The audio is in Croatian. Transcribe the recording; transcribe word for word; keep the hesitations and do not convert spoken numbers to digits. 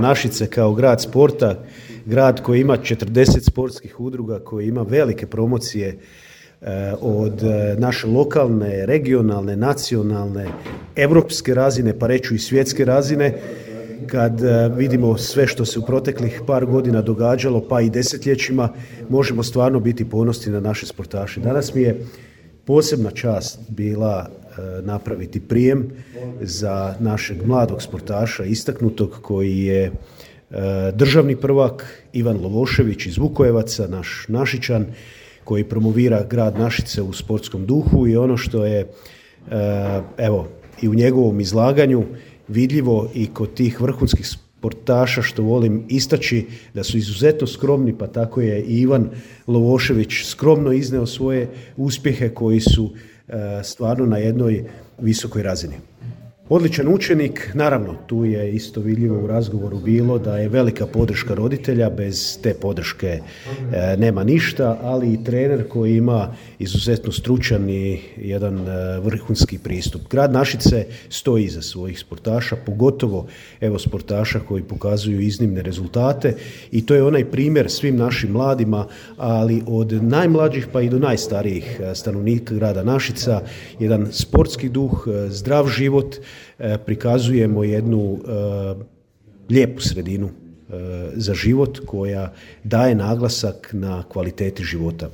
Našice kao grad sporta, grad koji ima četrdeset sportskih udruga, koji ima velike promocije eh, od naše lokalne, regionalne, nacionalne, europske razine, pa reću i svjetske razine, kad eh, vidimo sve što se u proteklih par godina događalo, pa i desetljećima, možemo stvarno biti ponosni na naše sportaše. Danas mi je posebna čast bila napraviti prijem za našeg mladog sportaša, istaknutog, koji je državni prvak, Ivan Lovošević iz Vukojevaca, naš Našičan, koji promovira grad Našice u sportskom duhu, i ono što je evo i u njegovom izlaganju vidljivo i kod tih vrhunskih sportaša, što volim istaći, da su izuzetno skromni, pa tako je i Ivan Lovošević skromno izneo svoje uspjehe koji su stvarno na jednoj visokoj razini. Odličan učenik, naravno tu je isto vidljivo u razgovoru bilo da je velika podrška roditelja, bez te podrške e, nema ništa, ali i trener koji ima izuzetno stručan i jedan e, vrhunski pristup. Grad Našice stoji iza svojih sportaša, pogotovo evo sportaša koji pokazuju iznimne rezultate, i to je onaj primjer svim našim mladima, ali od najmlađih pa i do najstarijih stanovnika grada Našica, jedan sportski duh, zdrav život. Prikazujemo jednu uh, lijepu sredinu uh, za život koja daje naglasak na kvaliteti života.